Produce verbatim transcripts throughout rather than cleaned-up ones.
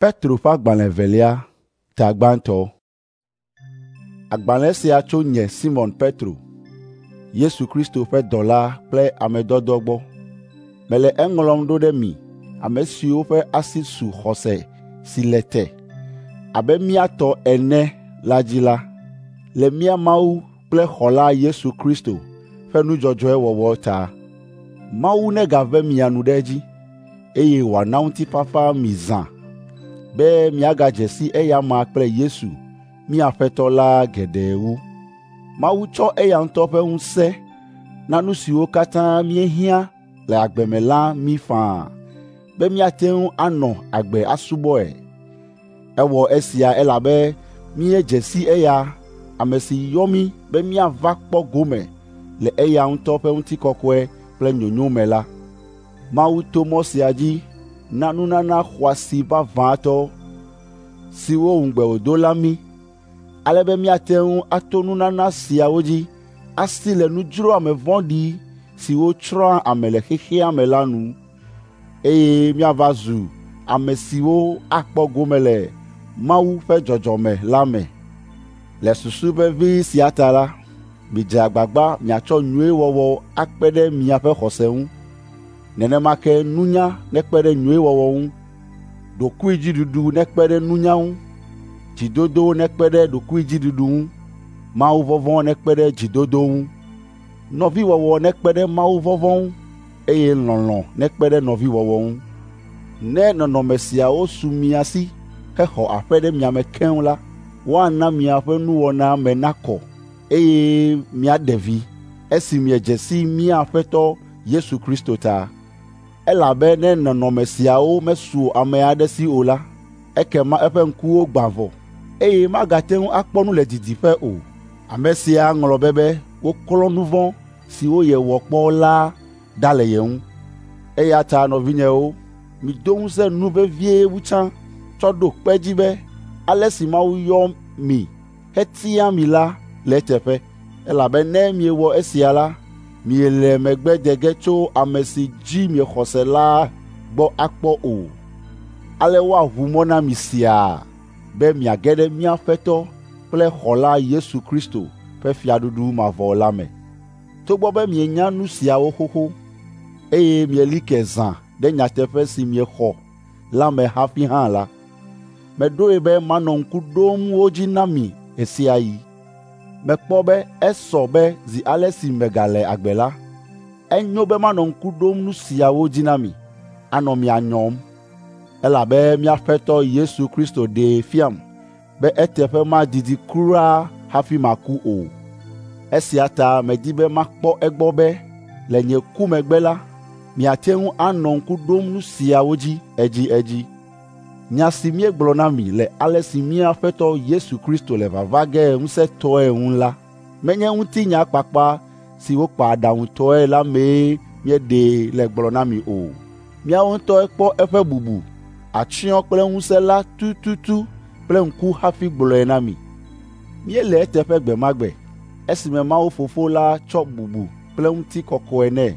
Petro ƒe agbalẽ evelia, ta gbãtɔ. Agbalẽ sia tso nye Simɔn Petro, Yesu Kristo ƒe dɔla kple ame dɔdɔ gbɔ. Mele eŋlɔm ɖo ɖe mi ame siwo ƒe asi su xɔse si le te abe mía tɔ ene la dzi la, le mía Mawu kple Xɔla Yesu Kristo ƒe nu dzɔdzɔe wɔwɔ ta. Mawu negave mia nu ɖe edzi, eye wòana ŋutifafa mi zã be miagadze si eya amea kple Yesu, mía Aƒetɔ la geɖe wu. Mawu tsɔ eya ŋutɔ ƒe ŋusẽ na nu siwo katã míehiã le agbe me la mí faa be míate ŋu anɔ agbe asubɔe. Ewɔ esia elabe míedze si eya, ame si yɔ mí be míava kpɔ gome le eya ŋutɔ ƒe ŋutikɔkɔe kple nyonyo me la. Mawu to mɔ sia dzi na nunana xɔasi vavãtɔ siwo ŋugbe wòdo la mí, ale be míate ŋu ato nunana siawo dzi asi le nudzroame vɔ̃ɖi siwo tsrɔ̃a ame le xexea me la nu, eye míava zu ame siwo akpɔ gome le Mawu ƒe dzɔdzɔme la me. Le susu vevi sia ta la, midze agbagba miatsɔ nyuiwɔwɔ akpe ɖe miaƒe xɔse ŋu. Nenema ke nunya nekpe ɖe nyuiwɔwɔ ŋu, ɖokuidziɖuɖu nekpe ɖe nunya ŋu, dzidodo nekpe ɖe ɖokuidziɖuɖu ŋu, mawuvɔvɔ̃ nekpe ɖe dzidodo ŋu, nɔviwɔwɔ nekpe ɖe mawuvɔvɔ̃ ŋu, eye lɔlɔ̃ nekpe ɖe nɔviwɔwɔ ŋu. Ne nɔnɔme siawo su mia si hexɔ aƒe ɖe mia me keŋ la, woana miaƒe nuwɔna me nakɔ, eye miaɖe vi esi miedze si mía Aƒetɔ Yesu Kristo ta. Elabe ne nɔnɔme siawo mesu ame aɖe si o la, ekema eƒe ŋkuwo gbã vɔ, eye magate ŋu akpɔ nu le didiƒe o. Ame sia ŋlɔ be be woklɔ nu vɔ̃ siwo yewɔ kpɔ la ɖa le ye ŋu. Eya ta nɔvinyewo, mido ŋusẽ nu vevie wu tsã tsɔ ɖo kpe edzi be ale si Mawu yɔ mi hetia mi la le eteƒe. Elabe ne miewɔ esia la, miele megbe de ge tso ame si dzi miexɔ se la gbɔ akpɔ o. Ale woaʋu mɔ na mi siaa be miage ɖe mía Aƒetɔ kple Xɔla Yesu Kristo ƒe fiaɖuɖu mavɔ la me. Togbɔ be mienya nu siawo xoxo, eye mieli ke zã ɖe nyateƒe si miexɔ la me hafi hã la, meɖoe be manɔ ŋku ɖom wo dzi na mi ɣe sia ɣi. Mekpɔ be esɔ be zi ale si megale agbe la, enyo be manɔ ŋku ɖom nu siawo dzi na mi, anɔ mia nyɔm. Elabe mía Aƒetɔ Yesu Kristo ɖee fiam be eteƒe madidi kura hafi maku o. Esia ta medi be makpɔ egbɔ be le nye ku megbe la, miate ŋu anɔ ŋku ɖom nu siawo dzi edziedzi. Nya si míegblɔ na mi le ale si mía Aƒetɔ Yesu Kristo le vava ge ŋusẽtɔe ŋu la, menye ŋutinya kpakpa si wokpa aɖaŋutɔe la mee míeɖee le gblɔ na mi o. Míawo ŋutɔe kpɔ eƒe bubu, atsyɔ̃ kple ŋusẽ la tututu kple ŋku hafi gblɔe na mi. Míele eteƒe gbe ma gbe, esime Mawu Fofo la tsɔ bubu kple ŋutikɔkɔe nɛ.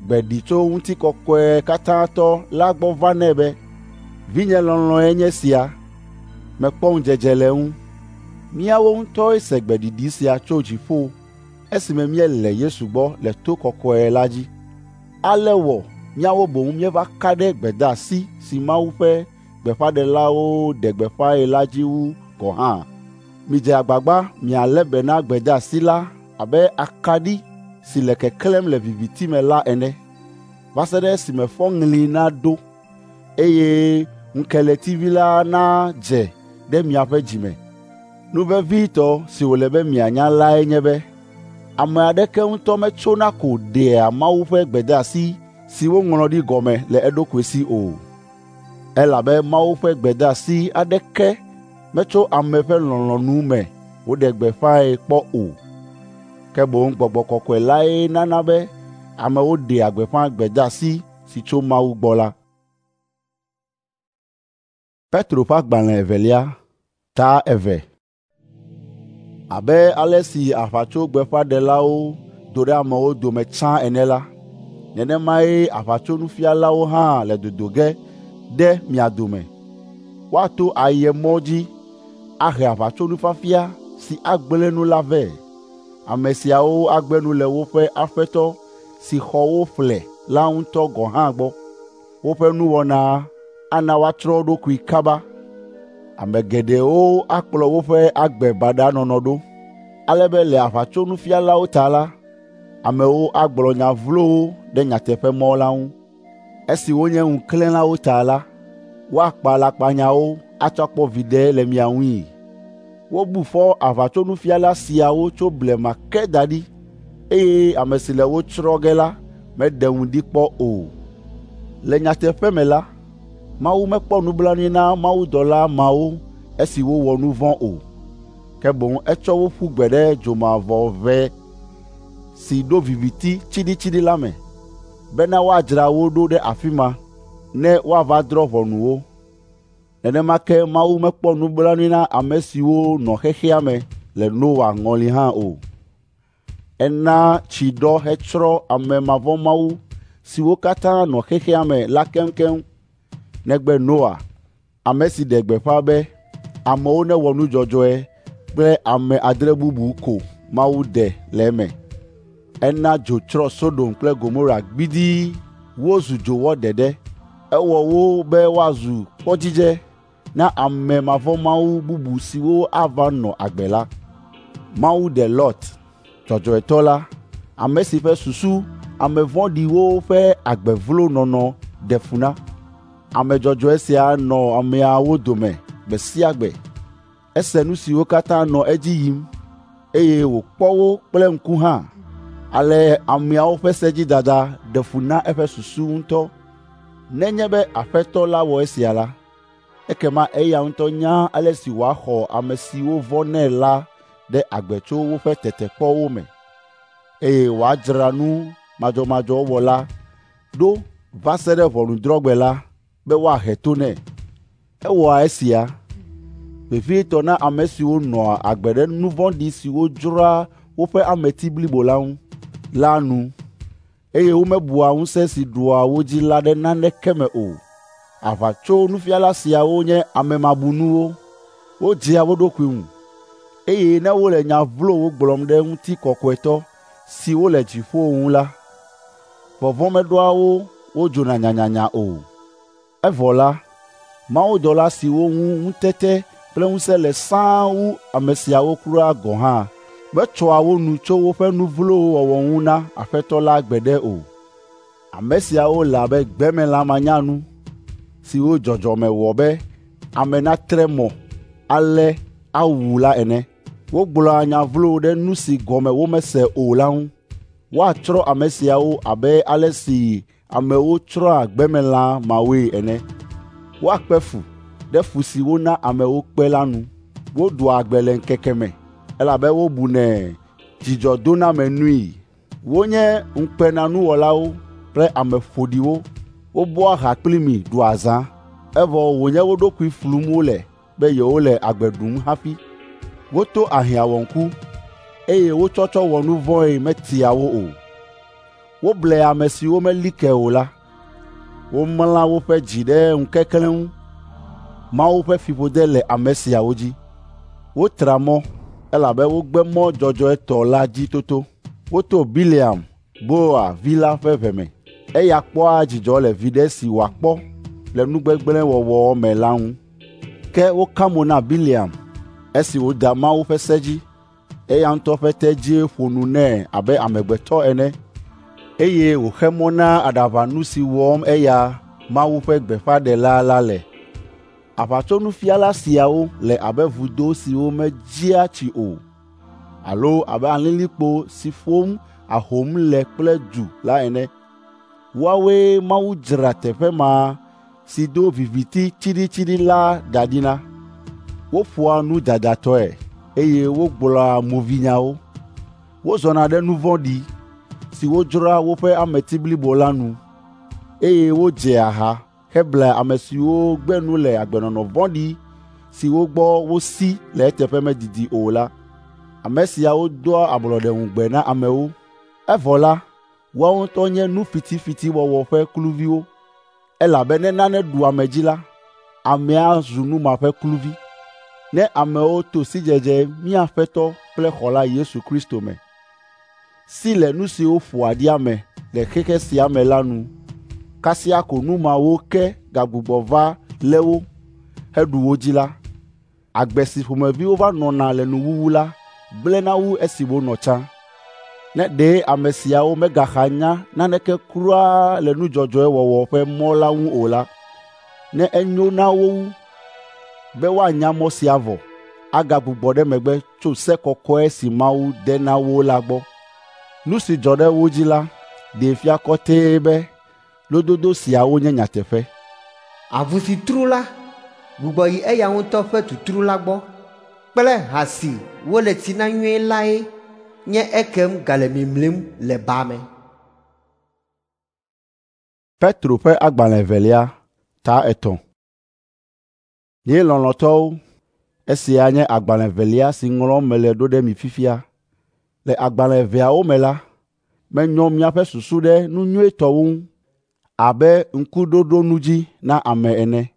Gbe ɖi tso ŋutikɔkɔe katãtɔ la gbɔ va nɛ be, “Vinye lɔlɔ̃e nye sia, mekpɔ ŋudzedze le eŋu.” Míawo ŋutɔe se gbeɖiɖi sia tso dziƒo esime míele Yesu gbɔ le to kɔkɔe la dzi. Ale wɔ míawo boŋ míeva ka ɖe gbedeasi si Mawu ƒe gbeƒãɖelawo ɖe gbeƒãe la dzi wu gɔ̃ hã. Midze agbagba mialé be na gbedeasi la abe akaɖi si le keklẽm le viviti me la ene, va se ɖe esime fɔŋli naɖo, eye ŋukeletivi la nadze ɖe miaƒe dzi me. Nu vevitɔ si wòle be mianya lae nye be ame aɖeke ŋutɔ metsona ko ɖea Mawu ƒe gbedeasi si woŋlɔ ɖi gɔme le eɖokui si o. Elabe Mawu ƒe gbedeasi aɖeke metso ame ƒe lɔlɔ̃nu me woɖe gbeƒãe kpɔ o. Ke boŋ Gbɔgbɔ Kɔkɔe lae nana be amewo ɖea gbeƒã gbedeasi si tso Mawu gbɔ la. Petro ƒe agbalẽ evelia, ta eve. Abe ale si aʋatsogbeƒãɖelawo do ɖe amewo dome tsã ene la, nenemae aʋatsonufialawo hã le dodo ge ɖe mia dome. Woato ayemɔ dzi ahe aʋatsonufiafia si agblẽ nu la vɛ. Ame siawo agbe nu le woƒe Aƒetɔ si xɔ wo ƒle la ŋutɔ gɔ̃ hã gbɔ. Woƒe nuwɔna ana woatsrɔ̃ wo ɖokui kaba. Ame geɖewo akplɔ woƒe agbe baɖa nɔnɔ ɖo, ale be le aʋatsonufialawo ta la, amewo agblɔ nya vlowo ɖe nyateƒemɔ la ŋu. Esi wonye ŋuklẽlawo ta la, woakpa alakpanyawo atsɔ akpɔ viɖe le mia ŋui. Wobu fɔ aʋatsonufiala siawo tso blema ke da ɖi, eye ame si le wo tsrɔ̃ ge la meɖe ŋu ɖi kpɔ o. Le nyateƒe me la, Mawu mekpɔ nublanui na mawudɔla mawo esi wowɔ nu vɔ̃ o, ke boŋ etsɔ wo ƒu gbe ɖe dzomavɔʋe si ɖo viviti tsiɖitsiɖi la me, bena woadzra wo ɖo ɖe afi ma ne woava drɔ̃ ʋɔnu wo. Nenema ke Mawu mekpɔ nublanui na ame siwo nɔ xexea me le Noa ŋɔli hã o. Ena tsi ɖɔ hetsrɔ̃ ame mavɔ̃mawu siwo katã nɔ xexea me la keŋkeŋ, negbe Noa, ame si ɖe gbeƒã be amewo newɔ nu dzɔdzɔe kple ame adre bubu ko Mawu ɖe le eme. Ena dzo tsrɔ̃ Sodom kple Gomora gbidii wozu dzowɔ ɖeɖe. Ewɔ wo be woazu kpɔdzidze na ame mavɔ̃mawu bubu siwo ava nɔ agbe la. Mawu ɖe Lot, dzɔdzɔetɔ la, ame si ƒe susu ame vɔ̃ɖiwo ƒe agbe vlo nɔnɔ ɖe fu na. Ame dzɔdzɔe sia nɔ ameawo dome gbe sia gbe. Ese nu siwo katã nɔ edzi yim, eye wòkpɔ wo kple ŋku hã. Ale ameawo ƒe sedzidada ɖe fu na eƒe susu ŋutɔ. Nenye be Aƒetɔ la wɔ esia la, ekema eya ŋutɔ nya ale si wòaxɔ ame siwo vɔ̃nɛ la ɖe agbe tso woƒe tetekpɔwo me, eye wòadzra nu madzɔmadzɔ wɔla ɖo va se ɖe ʋɔnudrɔ̃gbe la be woahe to nɛ. Ewɔa esia vevietɔ na ame siwo nɔa agbe ɖe nu vɔ̃ɖi siwo dzroa woƒe ameti blibo la ŋu la nu, eye womebua ŋusẽ si ɖua wo dzi la ɖe naneke me o. Aʋatsonufiala siawo nye ame mabunuwo, wodzea wo ɖokui ŋu, eye ne wole nya vlowo gblɔm ɖe ŋutikɔkɔetɔ siwo le dziƒo ŋu la, vɔvɔ̃ meɖoa wo wodzona nyanyanya o. Evɔ la, mawudɔla siwo ŋu ŋutete kple ŋusẽ le sãa wu ame siawo kura gɔ̃ hã metsɔa wo nu tso woƒe nu vlowo wɔwɔ ŋu na Aƒetɔ la gbeɖe o. Ame siawo le abe gbemelã manyanu siwo dzɔdzɔme wɔ be ame natre mɔ alé awu la ene. Wogblɔa nya vlowo ɖe nu si gɔme womese o la ŋu. Woatsrɔ̃ ame siawo abe ale si amewo tsrɔ̃a gbemelã mawoe ene. Woakpe fu ɖe fu si wona amewo kpe la nu. Woɖua agbe le ŋkeke me elabe wobunɛ dzidzɔdonamenui. Wonye ŋukpenanuwɔlawo kple ame ƒoɖiwo. Wobɔa ha kpli mi ɖua azã, evɔ wònye wo ɖokui flum wole be yewole agbe ɖum hafi. Woto ahiãwɔŋku, eye wo tsɔtsɔ wɔ nu vɔ̃e metia wo o. Woblea ame siwo meli ke o la. Womla woƒe dzi ɖe ŋukeklẽ ŋu. Mawu ƒe fiƒode le ame siawo dzi. Wotra mɔ, elabe wogbe mɔ dzɔdzɔetɔ la dzi toto. Woto Bileam, Beor vi la ƒe ʋe me. Eya kpɔa dzidzɔ le viɖe si wòakpɔ le nu gbegblẽ wɔwɔ me la ŋu. Ke woka mo na Bileam esi wòda Mawu ƒe se dzi. Eya ŋutɔ ƒe tedzie ƒo nu nɛ abe amegbetɔ ene, eye wòxe mɔ na aɖaʋanu si wɔm eya Mawu ƒe gbeƒãɖela la le. Aʋatsonufiala siawo le abe vudo siwo medzia tsi o, alo abe alilikpo si ƒom ahom le kple du la ene. Woawoe Mawu dzra teƒe ma si do viviti tsiɖitsiɖi la da ɖi na. Woƒoa nu dadatɔe eye wogblɔa movinyawo. Wozɔna ɖe nu vɔ̃ɖi siwo dzroa woƒe ameti blibo la nu, eye wodzea ha heblea ame siwo gbe nu le agbenɔnɔ vɔ̃ɖi siwo gbɔ wosi le eteƒe medidi o la. Ame siawo doa ablɔɖeŋugbe na amewo, evɔ la, woawo ŋutɔ nye nu fitifitiwɔwɔ ƒe kluviwo, elabe ne nane ɖu ame dzi la, amea zu nu ma ƒe kluvi. Ne amewo to sidzedze mía Aƒetɔ kple Xɔla Yesu Kristo me, si le nu siwo ƒoa ɖi ame le xexe sia me la nu, kasia ko nu mawo ke gagbugbɔ va lé wo heɖu wo dzi la, agbe si ƒomevi wova nɔna le nuwuwu la gblẽna wu esi wonɔ tsã. Ne ɖe ame siawo megaxa nya naneke kura le nu dzɔdzɔe wɔwɔ ƒe mɔ la ŋu o la, ne enyo na wo wu be woanya mɔ sia vɔ, agagbugbɔ ɖe megbe tso se kɔkɔe si Mawu de na wo la gbɔ. Nu si dzɔ ɖe wo dzi la ɖee fia kɔtɛe be lododo siawo nye nyateƒe. Avu si tru la gbugbɔ yi eya ŋutɔ ƒe tutru la gbɔ kple ha si wole tsi na nyuie lae nye ekem gale mimlim le ba me. Petro ƒe agbalẽ evelia, ta etɔ̃. Nye lɔlɔ̃tɔwo, esia nye agbalẽ evelia si ŋlɔm mele ɖo ɖe mi fifia. Le agbalẽ eveawo me la, menyɔ miaƒe susu ɖe nu nyuitɔwo ŋu abe ŋkuɖoɖonudzi na ame ene.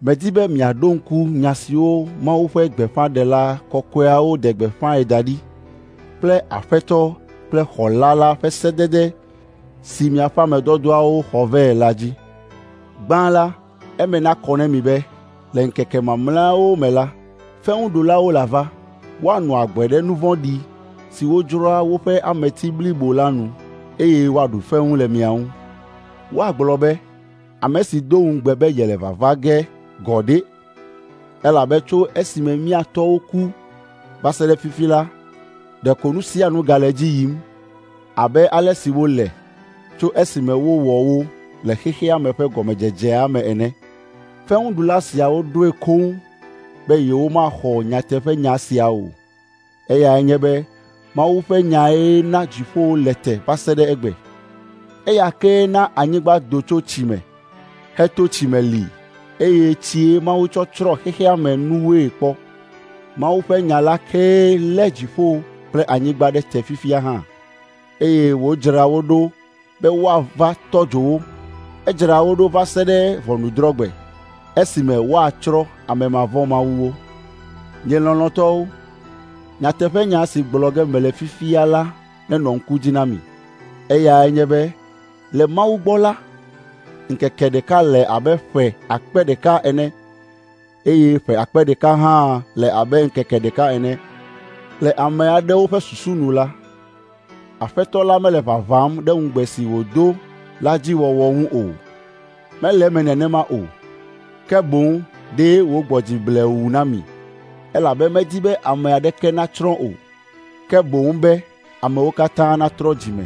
Medi be miaɖo ŋku nya siwo Mawu ƒe gbeƒãɖela kɔkɔeawo ɖe gbeƒãe da ɖi kple Aƒetɔ kple Xɔla la ƒe sedede si miaƒe ame dɔdɔawo xɔ vɛ la dzi. Gbã la, eme nakɔ na mi be le ŋkeke mamlɛawo me la, fewuɖulawo lava, woanɔ agbe ɖe nu vɔ̃ɖi siwo dzroa woƒe ameti blibo la nu, eye woaɖu fewu le mia ŋu. Woagblɔ be, ame si do ŋugbe be yele vava ge gɔ̃ ɖe, elabe tso esime mía tɔwo ku va se ɖe fifi la, ɖeko nu sia nu gale edzi yim abe ale si wole tso esime wowɔ wo le xexea me ƒe gɔmedzedzea me ene. Fewuɖula siawo ɖoe koŋ be yewomaxɔ nyateƒenya sia o. Eyae nye be Mawu ƒe nyae na dziƒowo le te va se ɖe egbe. Eya kee na anyigba do tso tsi me, heto tsi me li, eye tsie Mawu tsɔ tsrɔ̃ xexea me nuwoe kpɔ. Mawu ƒe nya la kee lé dziƒo kple anyigba ɖe te fifia hã, eye wòdzra wo ɖo be woava tɔ dzo wo. Edzra wo ɖo va se ɖe ʋɔnudrɔ̃gbe, esime woatsrɔ̃ ame mavɔ̃mawuwo. Nye lɔlɔ̃tɔwo, nyateƒenya si gblɔ ge mele fifia la nenɔ ŋku dzi na mi. Eyae nye be le Mawu gbɔ la, ŋkeke ɖeka le abe ƒe akpe ɖeka ene, eye ƒe akpe ɖeka hã le abe ŋkeke ɖeka ene. Le ame aɖewo ƒe susu nu la, Aƒetɔ la mele vavam ɖe ŋugbe si wòdo la dzi wɔwɔ ŋu o. Mele eme nenema o, ke boŋ ɖe wògbɔ dzi blewu na mi, elabe medi be ame aɖeke natsrɔ̃ o, ke boŋ be amewo katã natrɔ dzi me.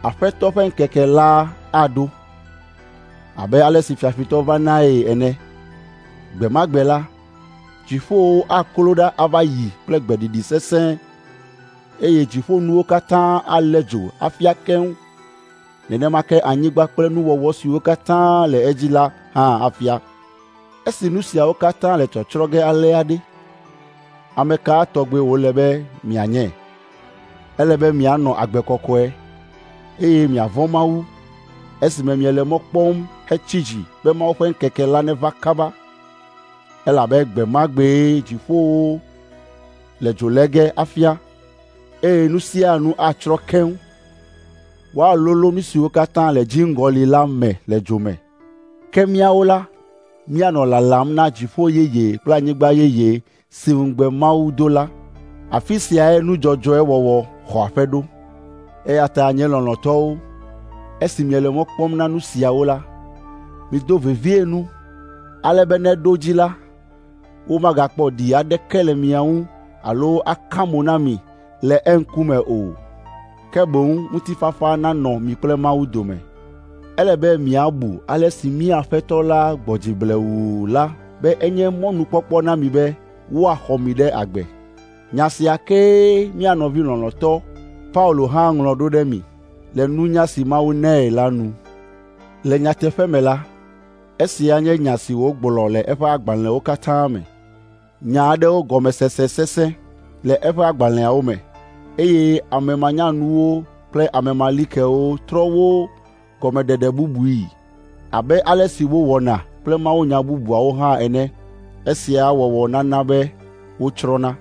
Aƒetɔ ƒe ŋkeke la aɖo abe ale si fiafitɔ vanae ene. Gbe ma gbe la, dziƒowo aklo ɖa ava yi kple gbeɖiɖi sesẽ, eye dziƒonuwo katã alé dzo afia keŋ. Nenema ke anyigba kple nuwɔwɔ siwo katã le edzi la hã afia. Esi nu siawo katã le tsɔtsrɔ̃ ge alea ɖe, ame ka tɔgbe wòle be mianye? Ele be mianɔ agbe kɔkɔe, eye miavɔ̃ Mawu, esime miele mɔ kpɔm hetsi dzi be Mawu ƒe ŋkeke la neva kaba. Elabe gbe ma gbee dziƒowo le dzo lé ge afia, eye nu sia nu atsrɔ̃ keŋ. Woalolo nu siwo katã le dziŋgɔli la me le dzo me. Ke míawo la, míanɔ lalam na dziƒo yeye kple anyigba yeye si ŋugbe Mawu do la. Afi siae nu dzɔdzɔe wɔwɔ xɔ aƒe ɖo. Eya ta nye lɔlɔ̃tɔwo, esi miele mɔ kpɔm na nu siawo la, mido vevie nu, ale be ne ɖo dzi la, womagakpɔ ɖi aɖeke le mia ŋu alo aka mo na mi le eŋkume o. Ke boŋ ŋutifafa nanɔ mi kple Mawu dome. Ele be miabu ale si mía Aƒetɔ la gbɔ dzi blewuu la be enye mɔnukpɔkpɔ na mi be woaxɔ mi ɖe agbe. Nya sia kee mía nɔvi lɔlɔ̃tɔ Paulo hã ŋlɔ ɖo ɖe mi le nunya si Mawu nɛ la nu. Le nyateƒe me la, esia nye nya si wògblɔ le eƒe agbalẽwo katã me. Nya aɖewo gɔmesese sesẽ le eƒe agbalẽawo me, eye ame manyanuwo kple ame malikewo trɔ wo gɔmeɖeɖe bubui, abe ale si wowɔna kple mawunya bubuawo hã ene. Esia wɔwɔ nana be wotsrɔ̃na.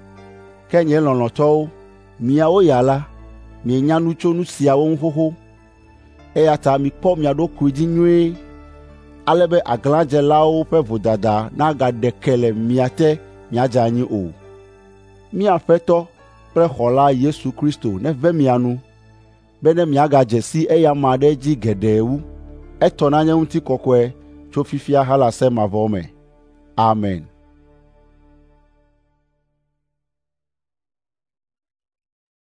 Ke nye lɔlɔ̃tɔwo, miawo ya la, mienya nu tso nu siawo ŋu xoxo, eya ta mikpɔ mia ɖokui dzi nyuie ale be aglãdzelawo ƒe vodada nagaɖe ke le mia te miadze anyi o. Mía Aƒetɔ kple Xɔla Yesu Kristo neve mia nu, bene miagadze si eya amea ɖe edzi geɖe wu. Etɔ nanye ŋutikɔkɔe tso fifia halase mavɔ me. Amen.